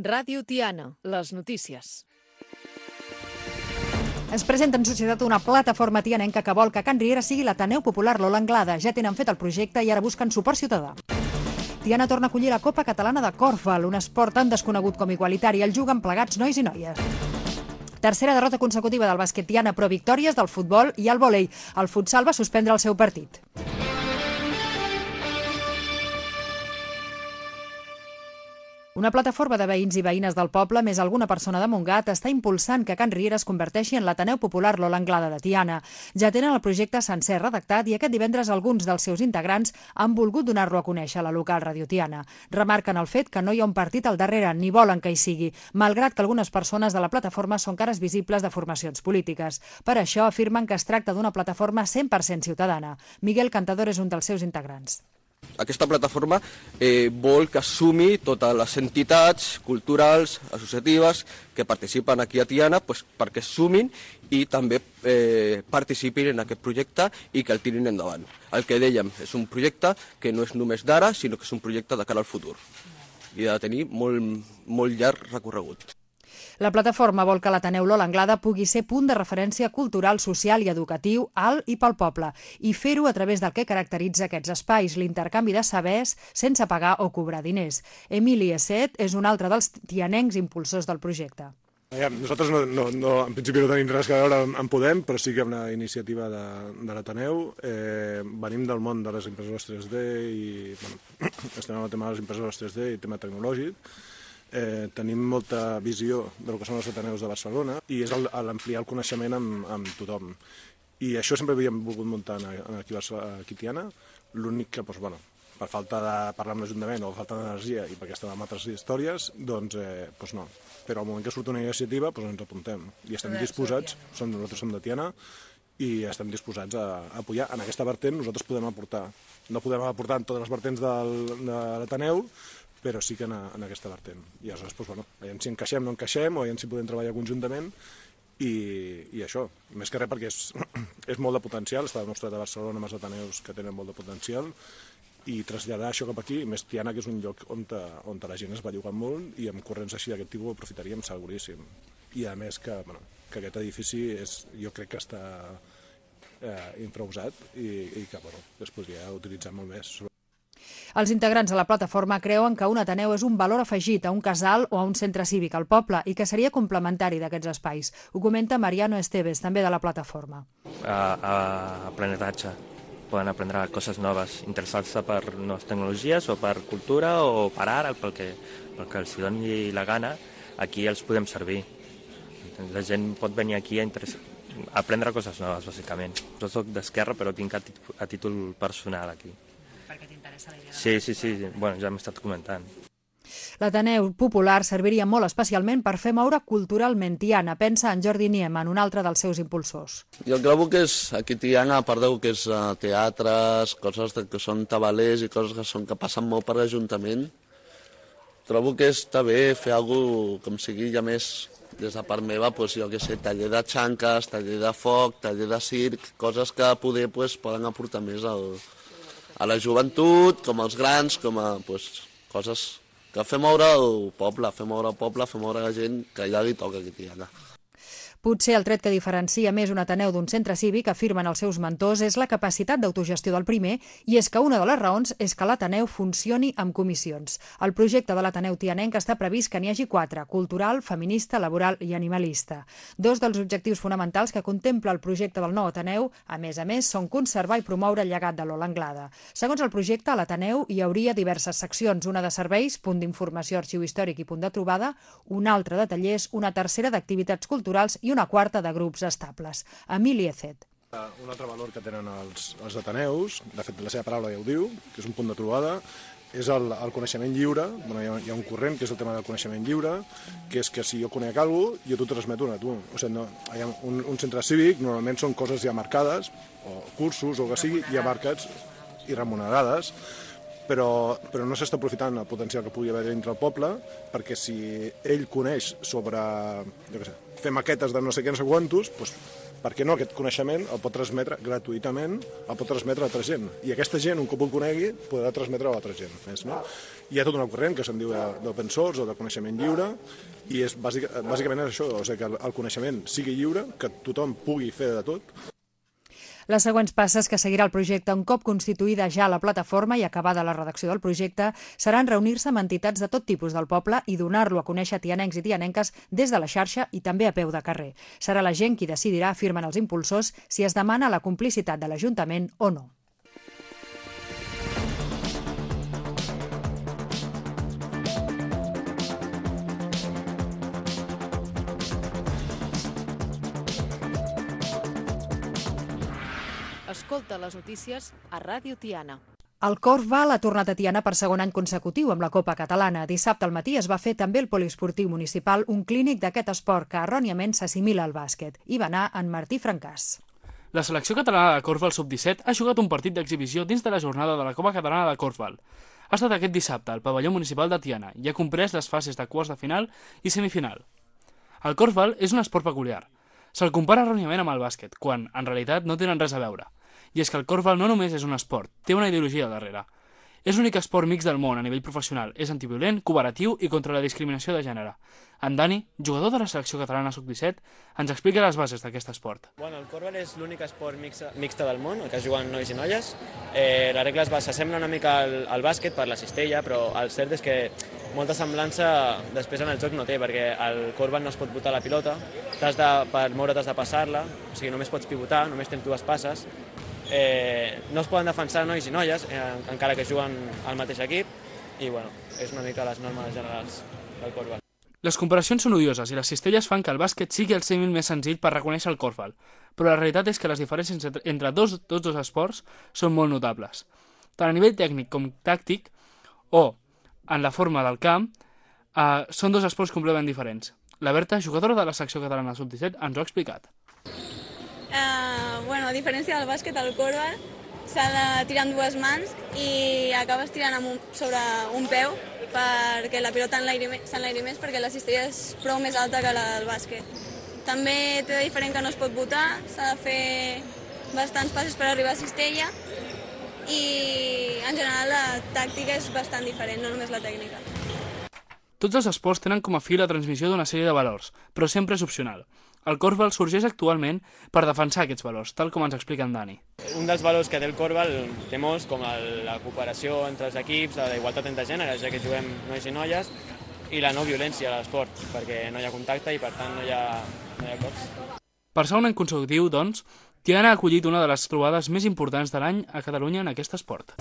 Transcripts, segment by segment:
Ràdio Tiana, les notícies. Es presenta en societat una plataforma tianenca que vol que Can Riera sigui l'Ateneu Popular Lola Anglada. Ja tenen fet el projecte i ara busquen suport ciutadà. Tiana torna a acollir la Copa Catalana de Korfball, un esport tan desconegut com igualitari. El juguen plegats nois i noies. Tercera derrota consecutiva del bàsquet Tiana, però victòries del futbol i el vòlei. El futsal va suspendre el seu partit. Una plataforma de veïns i veïnes del poble, més alguna persona de Montgat, està impulsant que Can Riera es converteixi en l'Ateneu Popular Lola Anglada de Tiana. Ja tenen el projecte sencer redactat i aquest divendres alguns dels seus integrants han volgut donar-lo a conèixer a la local Ràdio Tiana. Remarquen el fet que no hi ha un partit al darrere, ni volen que hi sigui, malgrat que algunes persones de la plataforma són cares visibles de formacions polítiques. Per això afirmen que es tracta d'una plataforma 100% ciutadana. Miguel Cantador és un dels seus integrants. Aquesta plataforma vol que assumi totes les entitats culturals, associatives, que participen aquí a Tiana, perquè sumin i també participin en aquest projecte i que el tirin endavant. El que dèiem és un projecte que no és només d'ara, sinó que és un projecte de cara al futur i ha de tenir molt llarg recorregut. La plataforma vol que l'Ateneu Lola Anglada pugui ser punt de referència cultural, social i educatiu alt i pel poble, i fer-ho a través del que caracteritza aquests espais, l'intercanvi de sabers sense pagar o cobrar diners. Emili Esset és un altre dels tianencs impulsors del projecte. Nosaltres en principi no tenim res a veure amb Podem, però sí que una iniciativa de l'Ateneu. Venim del món de les impressores 3D i estem en el tema de les impressores 3D i tema tecnològic. Tenim molta visió del que són els Ateneus de Barcelona i és l'ampliar el coneixement amb tothom. I això sempre havíem volgut muntar aquí a Tiana, l'únic que, per falta de parlar amb l'Ajuntament o falta d'energia i perquè estàvem en altres històries, doncs no. Però al moment que surt una iniciativa ens apuntem i estem disposats, nosaltres som de Tiana, i estem disposats a apoyar. En aquesta vertent nosaltres podem aportar. No podem aportar en totes les vertents de l'Ateneu, però sí que en aquesta vertent. I aleshores, veiem si encaixem o no encaixem, o veiem si podem treballar conjuntament, i això. Més que res perquè és molt de potencial, està demostrat a Barcelona amb els Ateneus que tenen molt de potencial, i traslladar això cap aquí, més Tiana, que és un lloc on la gent es va llogar molt, i amb corrents així d'aquest tipus ho aprofitaríem seguríssim. I a més que aquest edifici jo crec que està infrausat i que es podria utilitzar molt més. Els integrants de la plataforma creuen que un Ateneu és un valor afegit a un casal o a un centre cívic al poble i que seria complementari d'aquests espais. Ho comenta Mariano Esteves, també de la plataforma. Aprenentatge. Poden aprendre coses noves, interessar-se per noves tecnologies o per cultura o per art, pel que els doni la gana, aquí els podem servir. La gent pot venir aquí a aprendre coses noves, bàsicament. Jo soc d'esquerra, però tinc a títol personal aquí. Perquè t'interessa la idea. Sí. Ja m'he estat comentant. L'Ateneu Popular serviria molt especialment per fer moure culturalment Tiana, pensa en Jordi Nieman, un altre dels seus impulsors. Jo trobo que aquí Tiana, a part que és teatres, coses que són tabalers i coses que passen molt per l'Ajuntament, trobo que està bé fer alguna cosa com sigui ja més des de part meva, jo què sé, taller de xanques, taller de foc, taller de circ, coses que poder poden aportar més a la joventut, com als grans, com a coses que fer moure el poble, fer moure la gent que ja li toca aquí a Tiana. Potser el tret que diferencia més un Ateneu d'un centre cívic, afirmen els seus mentors, és la capacitat d'autogestió del primer, i és que una de les raons és que l'Ateneu funcioni amb comissions. El projecte de l'Ateneu tianenc està previst que n'hi hagi 4, cultural, feminista, laboral i animalista. Dos dels objectius fonamentals que contempla el projecte del nou Ateneu, a més, són conservar i promoure el llegat de Lola Anglada. Segons el projecte, a l'Ateneu hi hauria diverses seccions, una de serveis, punt d'informació, arxiu històric i punt de trobada, una altra de tallers, una tercera d'activitats culturals i una quarta de grups estables. Emili Esset. Un altre valor que tenen els Ateneus, de fet la seva paraula ja ho diu, que és un punt de trobada, és el coneixement lliure. Hi ha un corrent que és el tema del coneixement lliure, que és que si jo conec alguna cosa, jo t'ho transmeto a tu. O sigui, un centre cívic normalment són coses ja marcades, o cursos o el que sigui, ja marcats i remunerades, però no s'està aprofitant el potencial que pugui haver dintre el poble, perquè si ell coneix sobre, fer maquetes de no sé què, no sé quantos, per què no aquest coneixement el pot transmetre gratuïtament, el pot transmetre a altra gent. I aquesta gent, un cop ho conegui, podrà transmetre a altra gent més, no? Hi ha tota una corrent que se'n diu d'open source o de coneixement lliure, i és bàsicament això, o sigui, que el coneixement sigui lliure, que tothom pugui fer de tot. Les següents passes que seguirà el projecte un cop constituïda ja la plataforma i acabada la redacció del projecte seran reunir-se amb entitats de tot tipus del poble i donar-lo a conèixer a tianencs i tianenques des de la xarxa i també a peu de carrer. Serà la gent qui decidirà, afirmen els impulsors, si es demana la complicitat de l'Ajuntament o no. Escolta les notícies a Ràdio Tiana. El Korfball ha tornat a Tiana per segon any consecutiu amb la Copa Catalana. Dissabte al matí es va fer també el poliesportiu municipal, un clínic d'aquest esport que erròniament s'assimila al bàsquet. Hi va anar en Martí Francàs. La selecció catalana de Korfball sub-17 ha jugat un partit d'exhibició dins de la jornada de la Copa Catalana de Korfball. Ha estat aquest dissabte al pavelló municipal de Tiana i ha comprès les fases de quarts de final i semifinal. El Korfball és un esport peculiar. Se'l compara erròniament amb el bàsquet, quan, en realitat, no tenen res a veure. I és que el Korfball no només és un esport, té una ideologia al darrere. És l'únic esport mix del món a nivell professional, és antiviolent, cooperatiu i contra la discriminació de gènere. En Dani, jugador de la selecció catalana sub-17, ens explica les bases d'aquest esport. El Korfball és l'únic esport mixta del món, el que juguen nois i noies. Les regles s'assemblen una mica al bàsquet per la cistella, però el cert és que molta semblança després en el joc no té, perquè al Korfball no es pot botar la pilota, per moure t'has de passar-la, o sigui, només pots pivotar, només tens dues passes. No es poden defensar nois i noies, encara que juguen al mateix equip, i és una mica les normes generals del Korfball. Les comparacions són odioses i les cistelles fan que el bàsquet sigui el símil més senzill per reconèixer el Korfball, però la realitat és que les diferències entre tots dos esports són molt notables. Tant a nivell tècnic com tàctic, o en la forma del camp, són dos esports completament diferents. La Berta, jugadora de la secció catalana sub-17, ens ho ha explicat. A diferència del bàsquet, el Korfball s'ha de tirar amb dues mans i acabes tirant sobre un peu perquè la pilota s'enlairi més perquè la cistella és prou més alta que la del bàsquet. També té de diferent que no es pot botar, s'ha de fer bastants passes per arribar a cistella i en general la tàctica és bastant diferent, no només la tècnica. Tots els esports tenen com a fi la transmissió d'una sèrie de valors, però sempre és opcional. El Korfball sorgeix actualment per defensar aquests valors, tal com ens explica en Dani. Un dels valors que té el Korfball té molts, com la cooperació entre els equips, la igualtat entre gèneres, ja que juguem nois i noies, i la no violència a l'esport, perquè no hi ha contacte i per tant no hi ha cops. Per segon any consecutiu, doncs, Tiana ha acollit una de les trobades més importants de l'any a Catalunya en aquest esport.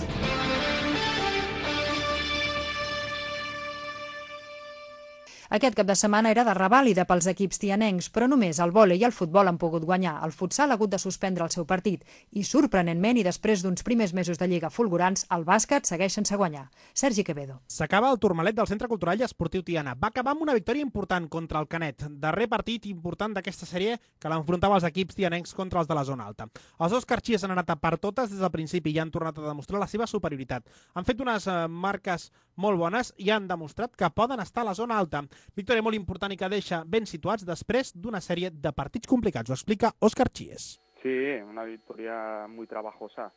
Aquest cap de setmana era de revàlida pels equips tianencs, però només el vòlei i el futbol han pogut guanyar. El futsal ha hagut de suspendre el seu partit i, sorprenentment, i després d'uns primers mesos de lliga fulgurants, el bàsquet segueix sense guanyar. Sergi Quevedo. S'acaba el Tourmalet del Centre Cultural i Esportiu Tiana. Va acabar amb una victòria important contra el Canet, darrer partit important d'aquesta sèrie que l'enfrontava els equips tianencs contra els de la zona alta. Els dos carxies han anat a per totes des del principi i han tornat a demostrar la seva superioritat. Han fet unes marques molt bones i han demostrat que poden estar a la zona alta. Victòria molt important i que deixa ben situats després d'una sèrie de partits complicats. Ho explica Òscar Chies. Sí, una victoria muy trabajosa.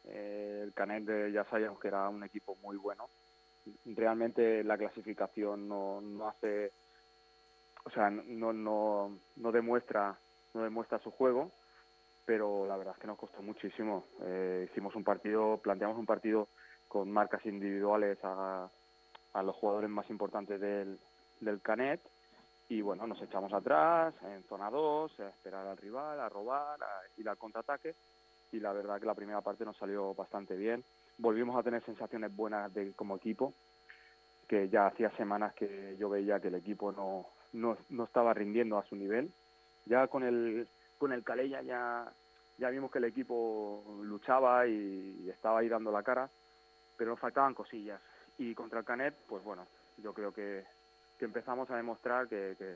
El Canet ya sabíamos que era un equipo muy bueno. Realmente la clasificación no hace, o sea, no demuestra su juego, pero la verdad es que nos costó muchísimo. Planteamos un partido con marcas individuales a los jugadores más importantes del Canet y bueno, nos echamos atrás en zona 2, a esperar al rival, a robar, a ir al contraataque y la verdad que la primera parte nos salió bastante bien. Volvimos a tener sensaciones buenas como equipo, que ya hacía semanas que yo veía que el equipo no estaba rindiendo a su nivel. Ya con el Calella ya vimos que el equipo luchaba y estaba ahí dando la cara, pero nos faltaban cosillas. Y contra el Canet, pues bueno, yo creo que empezamos a demostrar que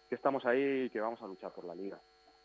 estamos ahí y que vamos a luchar por la Liga.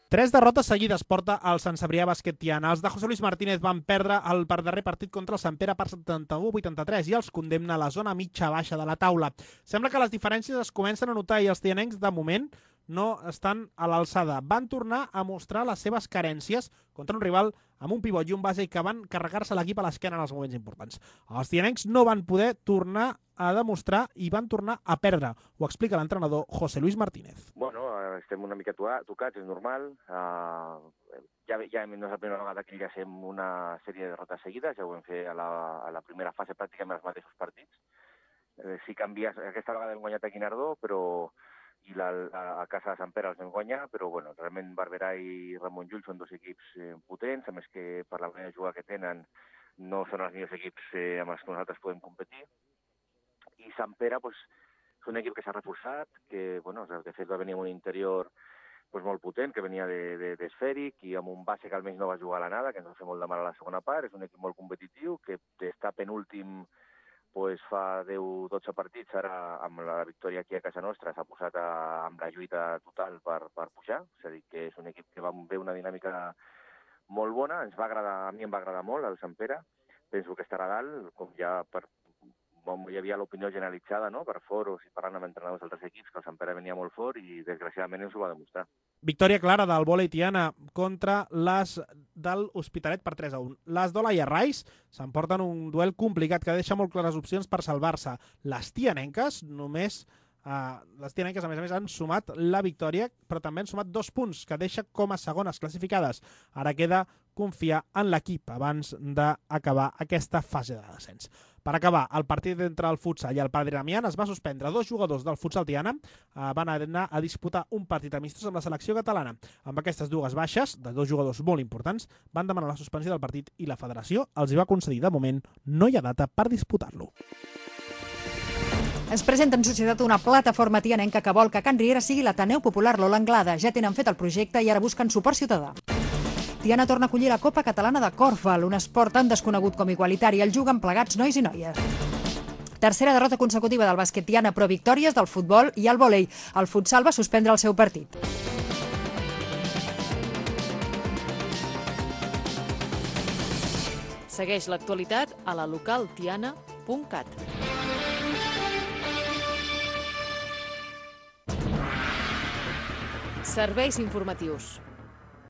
3 derrotes seguides porta el Sant Cebrià Bàsquet Tiana. Els de José Luis Martínez van perdre el darrer partit contra el Sant Pere per 71-83 i els condemna a la zona mitja-baixa de la taula. Sembla que les diferències es comencen a notar i els tianencs, de moment, no estan a l'alçada. Van tornar a mostrar les seves carències contra un rival amb un pivot i un base que van carregar-se l'equip a l'esquena en els moments importants. Els tianencs no van poder tornar a demostrar i van tornar a perdre. Ho explica l'entrenador José Luis Martínez. Bueno, estem una mica tocats, és normal. Ja no és la primera vegada que llancem una sèrie de derrotes seguides, ja ho vam fer a la primera fase pràcticament els mateixos partits. Sí canvies, aquesta vegada hem guanyat a Guinardó, i a casa de Sant Pere els vam guanyar, però bueno, realment Barberà i Ramon Llull són dos equips potents, a més que per la manera de jugar que tenen no són els millors equips amb els que nosaltres podem competir. I Sant Pere és un equip que s'ha reforçat, que de fet va venir amb un interior molt potent, que venia d'esfèric i amb un base que almenys no va jugar a l'anada, que ens va fer molt de mal a la segona part. És un equip molt competitiu, que està penúltim fa 10-12 partits, ara amb la victòria aquí a casa nostra s'ha posat amb la lluita total per pujar, és a dir, que és un equip que va fer una dinàmica molt bona, a mi em va agradar molt el Sant Pere, penso que estarà dalt, com ja hi havia l'opinió generalitzada per foros i parlant amb entrenadors d'altres equips, que el Sant Pere venia molt fort i desgraciadament ens ho va demostrar. Victòria clara del vòlei Tiana contra les del Hospitalet per 3-1. Les d'Olaia Rais s'emporten un duel complicat que deixa molt clares opcions per salvar-se. Les tianenques a més a més han sumat la victòria, però també han sumat 2 punts, que deixa com a segones classificades. Ara queda confiar en l'equip abans d'acabar aquesta fase de descens. Per acabar, el partit entre el futsal i el Padre Damián es va suspendre. 2 jugadors del futsal Tiana van anar a disputar un partit amistós amb la selecció catalana. Amb aquestes 2 baixes, de 2 jugadors molt importants, van demanar la suspensió del partit i la federació els hi va concedir. De moment, no hi ha data per disputar-lo. Es presenta en societat una plataforma tianenca que vol que Can Riera sigui l'Ateneu Popular Lola Anglada. Ja tenen fet el projecte i ara busquen suport ciutadà. Tiana torna a acollir la Copa Catalana de Korfball, un esport tan desconegut com igualitari. El juguen plegats nois i noies. Tercera derrota consecutiva del bàsquet Tiana, però victòries del futbol i el vòlei. El futsal va suspendre el seu partit. Segueix l'actualitat a la localtiana.cat. Serveis informatius.